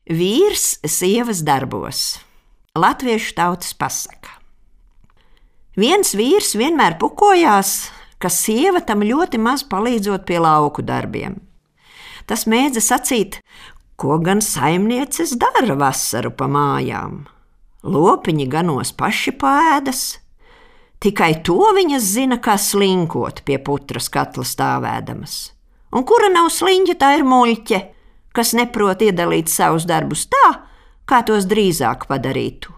Vīrs sievas darbos. Latviešu tautas pasaka. Viens vīrs vienmēr pukojās, ka sieva tam ļoti maz palīdzot pie lauku darbiem. Tas mēdza sacīt, ko gan saimnieces dara vasaru pa mājām. Lopiņi ganos paši pēdas, tikai to viņas zina, kā slinkot pie putras katla stāvēdamas. Un kura nav sliņķa, tā ir muļķe, kas neprot iedalīt savus darbus tā, kā tos drīzāk padarītu.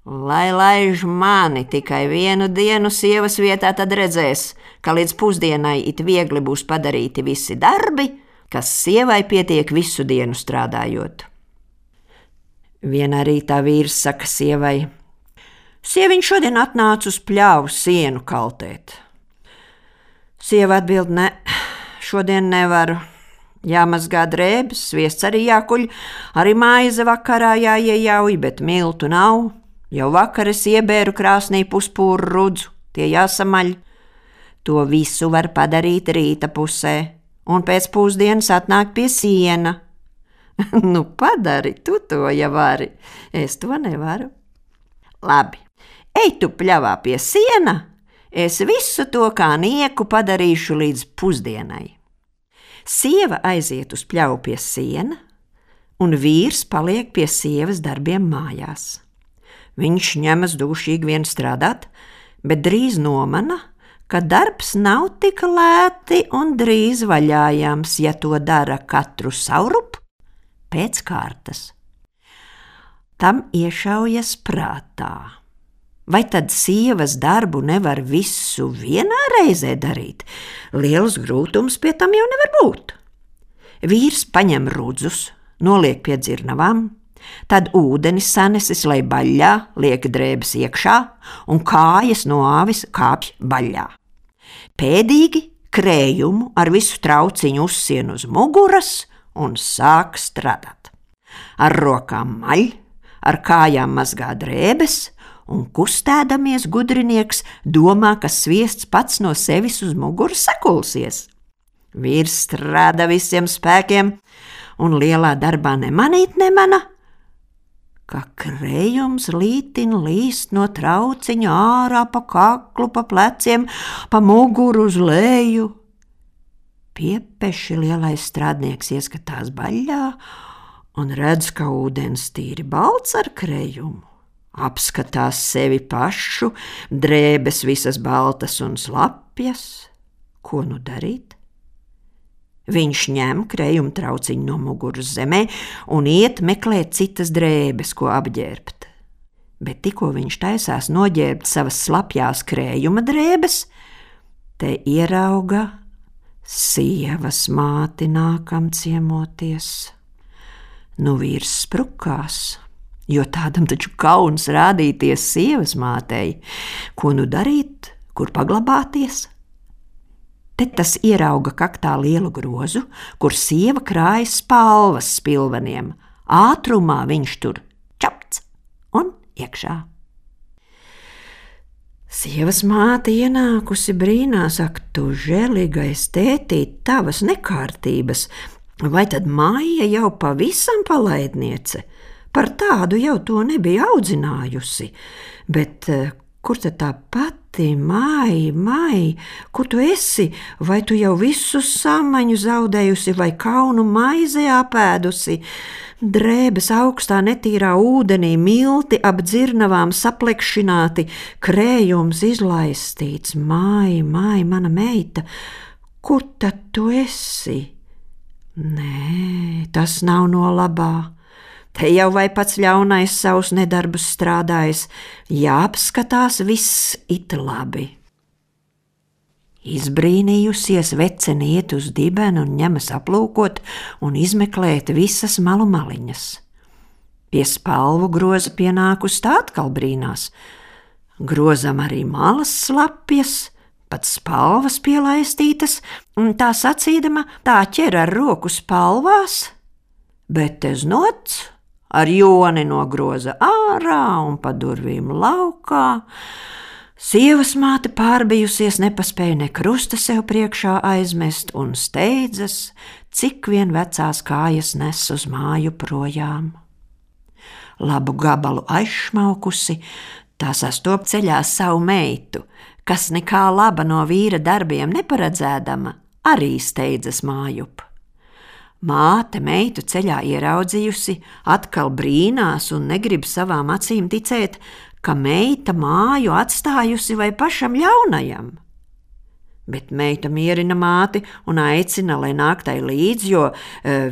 Lai laiž mani tikai vienu dienu sievas vietā, tad redzēs, ka līdz pusdienai it viegli būs padarīti visi darbi, kas sievai pietiek visu dienu strādājot. Vienā rītā vīrs saka sievai: Sieviņš šodien atnāca uz pļāvu sienu kaltēt. Sieva atbild: Ne, šodien nevaru. Jāmazgā drēbes, sviests arī jākuļ, arī maize vakarā jāiejauj, bet miltu nav. Jau vakar es iebēru krāsnī puspūru rudzu, tie jāsamaļ. To visu var padarīt rīta pusē, un pēc pusdienas atnāk pie siena. Nu, padari, tu to jau vari, es to nevaru. Labi, ej tu pļavā pie siena, es visu to kā nieku padarīšu līdz pusdienai. Sieva aiziet uz pļavu pie siena, un vīrs paliek pie sievas darbiem mājās. Viņš ņemas dūšīgi vien strādāt, bet drīz nomana, ka darbs nav tik lēti un drīz vaļājams, ja to dara katru saurup pēc kārtas. Tam iešaujas prātā. Vai tad sievas darbu nevar visu vienā reizē darīt? Liels grūtums pie tam jau nevar būt. Vīrs paņem rudzus, noliek pie dzirnavām, tad ūdenis sanesis, lai baļļā liek drēbes iekšā un kājas no āvis kāpj baļļā. Pēdīgi krējumu ar visu trauciņu uzsien uz muguras un sāk strādāt. Ar rokām maļ, ar kājām mazgā drēbes, un kustēdamies gudrinieks domā, ka sviests pats no sevis uz muguras sakulsies. Vīrs strādā visiem spēkiem, un lielā darbā nemanīt nemana, ka krējums lītin līst no trauciņa ārā pa kaklu, pa pleciem, pa muguru uz leju. Piepeši lielais strādnieks ieskatās baļļā un redz, ka ūdens tīri balts ar krējumu. Apskatās sevi pašu, drēbes visas baltas un slapjas. Ko nu darīt? Viņš ņem krējuma trauciņu no muguras zemē un iet meklēt citas drēbes, ko apģērbt. Bet tikko viņš taisās noģērbt savas slapjās krējuma drēbes, te ierauga sievas māti nākam ciemoties. Nu vīrs sprukās, jo tādam taču kauns rādīties sievas mātei. Ko nu darīt, kur paglabāties? Te tas ierauga kaktā lielu grozu, kur sieva krājas spalvas spilveniem. Ātrumā viņš tur čapts un iekšā. Sievas māte ienākusi brīnās: Ak, tu žēlīgais tētīt, tavas nekārtības, vai tad Maija jau pavisam palaidniece? Par tādu jau to nebija audzinājusi, bet kur tad tā pati Mai, kur tu esi? Vai tu jau visu samaņu zaudējusi, vai kaunu maizē apēdusi? Drēbes augstā netīrā ūdenī, milti ap dzirnavām saplekšināti, krējums izlaistīts. Mai, mana meita, kur tad tu esi? Nē, tas nav no labā. Te jau vai pats ļaunais savus nedarbus strādājis, jāapskatās viss it labi. Izbrīnījusies vecene iet uz dibenu un ņemas aplūkot un izmeklēt visas malu maliņas. Pie spalvu groza pienākus tā atkal brīnās. Grozam arī malas slapjas, pat spalvas pielaistītas, un tā sacīdama tā ķer ar roku spalvās, bet te znots ar joni nogroza ārā un pa durvīm laukā. Sievas māte pārbijusies, nepaspēja ne krusta sev priekšā aizmest un steidzas, cik vien vecās kājas nes uz māju projām. Labu gabalu aizšmaukusi, tā sastop ceļā savu meitu, kas nekā laba no vīra darbiem neparedzēdama, arī steidzas mājup. Māte meitu ceļā ieraudzījusi, atkal brīnās un negrib savām acīm ticēt, ka meita māju atstājusi vai pašam ļaunajam. Bet meita mierina māti un aicina, lai nāk tai līdz, jo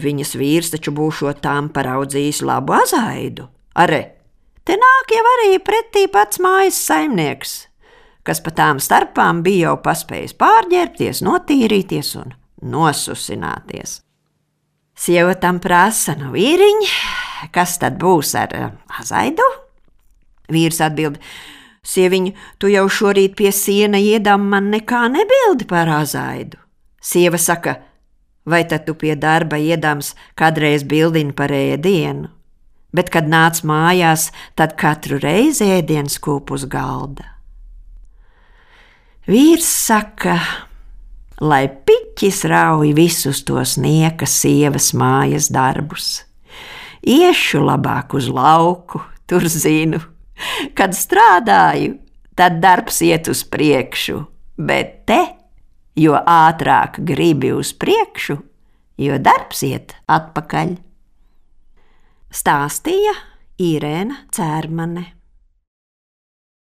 viņas vīrs taču būšot tām paraudzījis labu azaidu. Are, te nāk jau arī pretī pats mājas saimnieks, kas pa tām starpām bija jau paspējis pārģērbties, notīrīties un nosusināties. Sieva tam prasa, nu vīriņ, kas tad būs ar azaidu? Vīrs atbild, sieviņ, tu jau šorīt pie siena iedam man nekā nebildi par azaidu. Sieva saka, vai tad tu pie darba iedams kādreiz bildini par ēdienu? Bet, kad nāc mājās, tad katru reizi ēdiens kūp uz galda. Vīrs saka, lai piķis rauj visus tos nieka sievas mājas darbus. Iešu labāk uz lauku, tur zinu. Kad strādāju, tad darbs iet uz priekšu, bet te, jo ātrāk gribi uz priekšu, jo darbs iet atpakaļ. Stāstīja Irēna Cērmane.